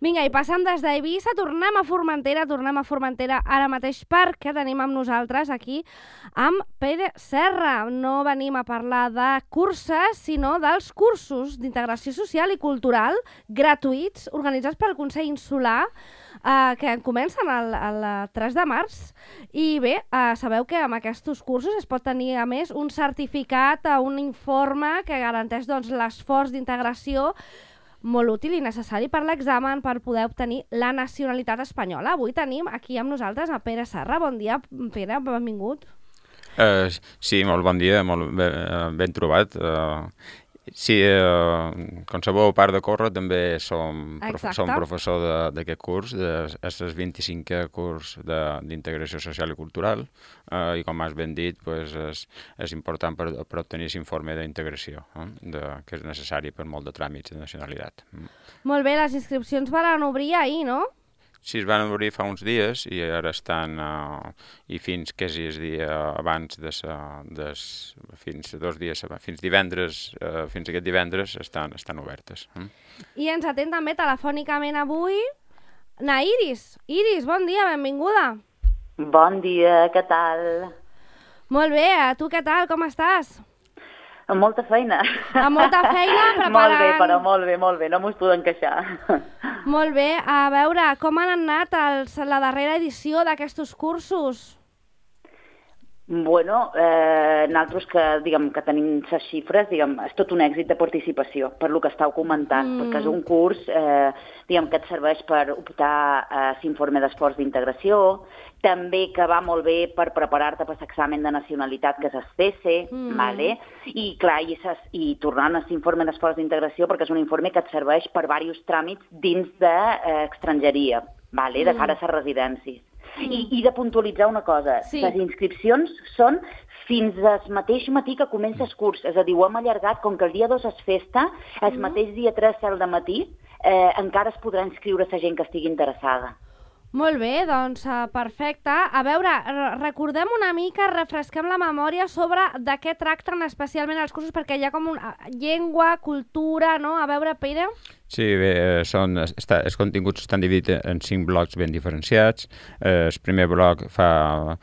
Vinga, i passant des d'Eivissa, tornem a Formentera ara mateix perquè tenim amb nosaltres aquí amb Pere Serra. No venim a parlar de curses, sinó dels cursos d'integració social i cultural gratuïts organitzats pel Consell Insular que comencen el 3 de març. I bé, sabeu que amb aquests cursos es pot tenir, a més, un certificat, un informe que garanteix l'esforç d'integració molt útil i necessari per l'examen per poder obtenir la nacionalitat espanyola. Avui tenim aquí amb nosaltres a Pere Serra. Bon dia, Pere, benvingut. Sí, molt bon dia, molt ben trobat. Sí, com sabeu, a part de córrer, també som professor d'aquest curs, és el 25è curs d'integració social i cultural, i com has ben dit, és important per obtenir aquest informe d'integració, que és necessari per molt de tràmits de nacionalitat. Molt bé, les inscripcions van obrir ahir, no? Sí, es van obrir fa uns dies i ara estan, i fins quasi el dia abans, fins 2 dies, fins divendres, fins aquest divendres estan obertes. I ens atén també telefònicament avui na Iris. Iris, bon dia, benvinguda. Bon dia, què tal? Molt bé, tu què tal, com estàs? Amb molta feina. Amb molta feina, preparant... Molt bé, però molt bé, no m'ho podem queixar. Molt bé, a veure, com han anat la darrera edició d'aquests cursos? Bueno, nosaltres que tenim les xifres, és tot un èxit de participació, per lo que estàu comentant, perquè és un curs que et serveix per optar a l'informe d'esforç d'integració, també que va molt bé per preparar-te per l'examen de nacionalitat que és el CESE, i clar, i tornant a l'informe d'esforç d'integració, perquè és un informe que et serveix per diversos tràmits dins d'estrangeria, de cara a les residències. I de puntualitzar una cosa, les inscripcions són fins al mateix matí que comença el curs, és a dir, ho hem allargat, com que el dia 2 és festa, el mateix dia 3 al matí, encara es podrà inscriure la gent que estigui interessada. Molt bé, doncs perfecte. A veure, recordem una mica, refresquem la memòria sobre de què tracten especialment els cursos, perquè hi ha com una llengua, cultura, no? A veure, Pere... Sí, bé, els continguts estan dividits en 5 blocs ben diferenciats. El primer bloc fa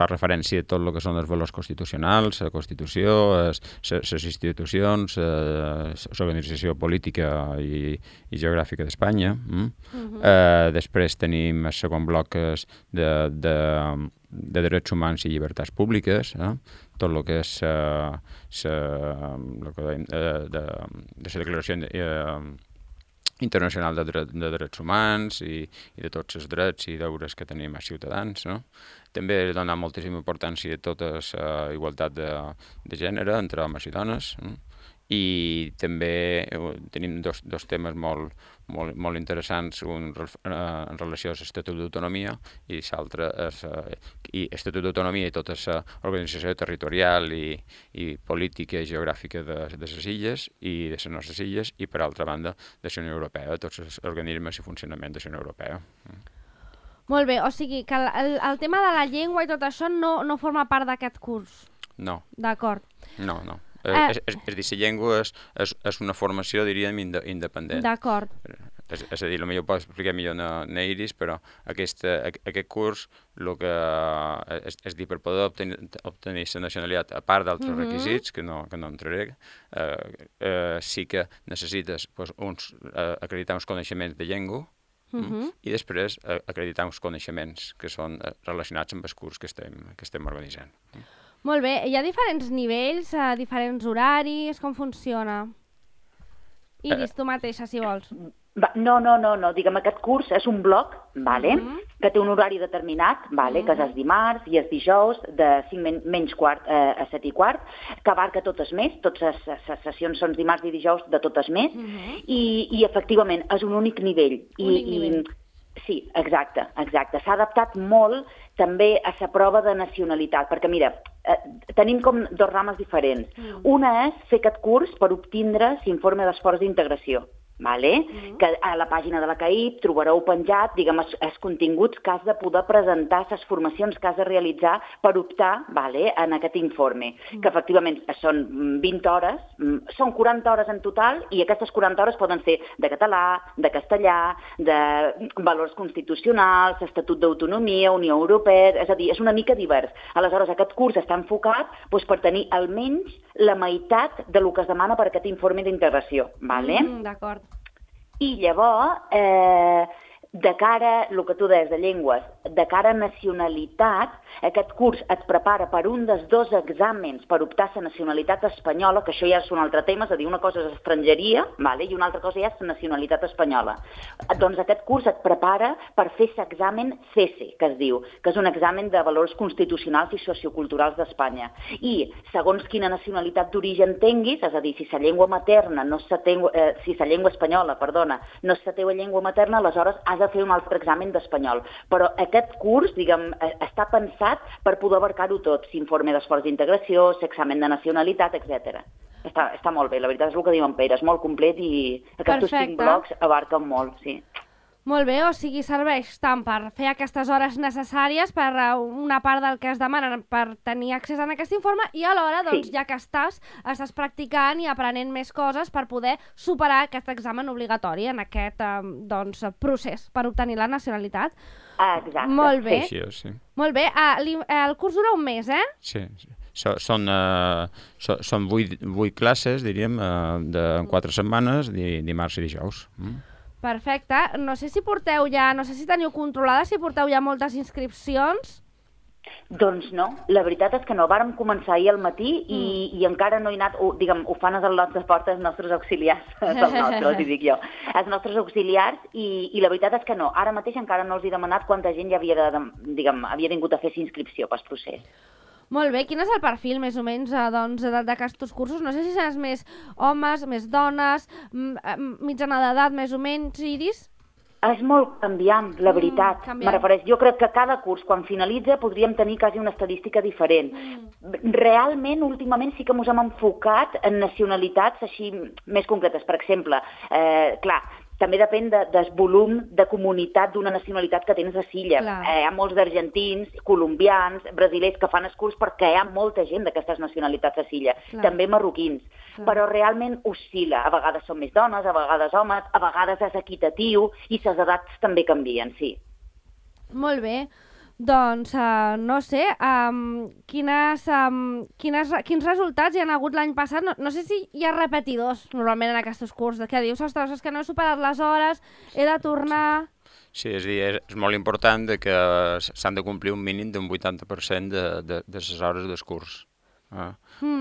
referència a tot el que són els valors constitucionals, la Constitució, les institucions, l'organització política i geogràfica d'Espanya. Després tenim el segon bloc de drets humans i llibertats públiques, tot el que és la Declaració Internacional de Drets Humans i de tots els drets i deures que tenim als ciutadans. També donar moltíssima importància a tota la igualtat de gènere entre homes i dones. I també tenim dos temes molt interessants, un en relació a l'Estatut d'Autonomia i l'altre l'Estatut d'Autonomia i tota l'organització territorial i política i geogràfica de les illes i de les nostres illes i, per altra banda, de la Unió Europea, tots els organismes i funcionament de la Unió Europea. Molt bé, o sigui que el tema de la llengua i tot això no forma part d'aquest curs? No. D'acord. No. És dir, la llengua és una formació, diríem, independent. D'acord. És a dir, potser ho pot explicar millor na Iris, però aquest curs, el que és dir, per poder obtenir la nacionalitat, a part d'altres requisits, que no entraré, sí que necessites acreditar uns coneixements de llengua i després acreditar uns coneixements que són relacionats amb el curs que estem organitzant. Molt bé. Hi ha diferents nivells, diferents horaris, com funciona? Iris, tu mateixa, si vols. No. Diguem, aquest curs és un bloc, que té un horari determinat, que és el dimarts i el dijous, de 5 menys quart a 7 i quart, que abarca tot el mes, totes les sessions són dimarts i dijous de tot el mes, i efectivament és un únic nivell. Sí, exacte. S'ha adaptat molt també a la prova de nacionalitat, perquè mira, tenim com 2 rames diferents. Una és fer aquest curs per obtindre l'informe d'esforç d'integració, vale? Que a la pàgina de la CAIP trobareu penjat, diguem, els continguts que has de poder presentar, les formacions que has de realitzar per optar, vale, en aquest informe, que efectivament són 20 hores, són 40 hores en total, i aquestes 40 hores poden ser de català, de castellà, de valors constitucionals, Estatut d'Autonomia, Unió Europea, és a dir, és una mica divers. Aleshores, aquest curs està enfocat per tenir almenys la meitat del que es demana per aquest informe d'integració, vale? D'acord. I llavors, de cara, el que tu deies de llengües, de cara a nacionalitat, aquest curs et prepara per un dels 2 exàmens per optar a la nacionalitat espanyola, que això ja és un altre tema, és a dir, una cosa és estrangeria, vale? I una altra cosa ja és la nacionalitat espanyola. Doncs aquest curs et prepara per fer l'examen CESE, que es diu, que és un examen de valors constitucionals i socioculturals d'Espanya. I segons quina nacionalitat d'origen tinguis, és a dir, si la llengua materna no és si la llengua espanyola, perdona, no és la teva llengua materna, aleshores has de fer un altre examen d'espanyol. Però aquest curs, diguem, està pensat per poder abarcar-ho tot, l'informe d'esforç d'integració, l'examen de nacionalitat, etc. Està molt bé, la veritat és el que diu en Pere, és molt complet i aquests 5 blocs abarquen molt, sí. Molt bé, o sigui, serveix tant per fer aquestes hores necessàries per una part del que es demanen per tenir accés a aquest informe i alhora, doncs, ja que estàs practicant i aprenent més coses per poder superar aquest examen obligatori en aquest procés per obtenir la nacionalitat. Exacte. Molt bé. Així és, sí. Molt bé. El curs dura un mes, eh? Sí. Són 8 classes, diríem, de 4 setmanes, dimarts i dijous. Perfecte. No sé si teniu controlada, si porteu ja moltes inscripcions. Doncs no, la veritat és que no. Vàrem començar ahir al matí i encara no he anat, diguem, ho fan els lots de porta els nostres auxiliars, els nostres auxiliars, i la veritat és que no. Ara mateix encara no els he demanat quanta gent ja havia vingut a fer inscripció pel procés. Molt bé, quin és el perfil, més o menys, d'aquests cursos? No sé si seràs més homes, més dones, mitjana d'edat, més o menys, Iris? És molt canviant, la veritat. Me refereix, jo crec que cada curs, quan finalitza, podríem tenir quasi una estadística diferent. Realment, últimament, sí que ens hem enfocat en nacionalitats així més concretes. Per exemple, clar, també depèn del volum de comunitat d'una nacionalitat que tens a l'illa. Hi ha molts d'argentins, colombians, brasilers que fan el curs perquè hi ha molta gent d'aquestes nacionalitats a l'illa, també marroquins. Però realment oscil·la. A vegades són més dones, a vegades homes, a vegades és equitatiu i les edats també canvien, sí. Molt bé. Doncs, no sé, quins resultats hi ha hagut l'any passat? No sé si hi ha repetidors normalment en aquests cursos, que dius, ostres, és que no he superat les hores, he de tornar... Sí, és a dir, és molt important que s'han de complir un mínim d'un 80% de les hores del curs.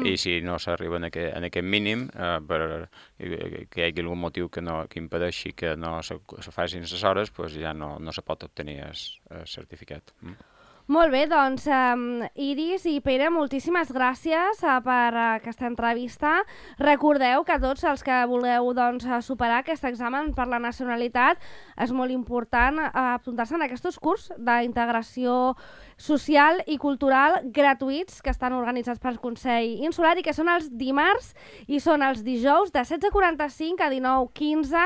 I si no s'arriba en aquest mínim, que hi hagi algun motiu que impedeixi que no se facin les hores, doncs ja no se pot obtenir el certificat. Molt bé, doncs, Iris i Pere, moltíssimes gràcies per aquesta entrevista. Recordeu que tots els que vulgueu superar aquest examen per la nacionalitat és molt important apuntar-se en aquests cursos d'integració social i cultural gratuïts que estan organitzats pel Consell Insular i que són els dimarts i són els dijous de 16:45 a 19:15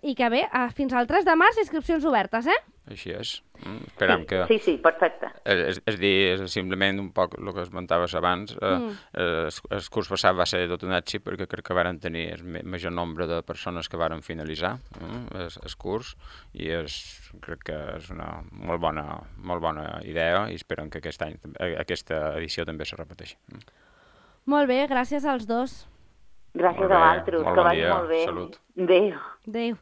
i que bé, fins al 3 de març inscripcions obertes, Així és. Esperem que... Sí, perfecte. És dir, simplement un poc el que esmentaves abans, el curs passat va ser tot un èxit perquè crec que varen tenir el major nombre de persones que varen finalitzar el curs i crec que és una molt bona idea i esperem que aquest any aquesta edició també se repeteixi. Molt bé, gràcies als dos. Gràcies a vosaltres, que vagi molt bé. Salut. Adéu. Adéu.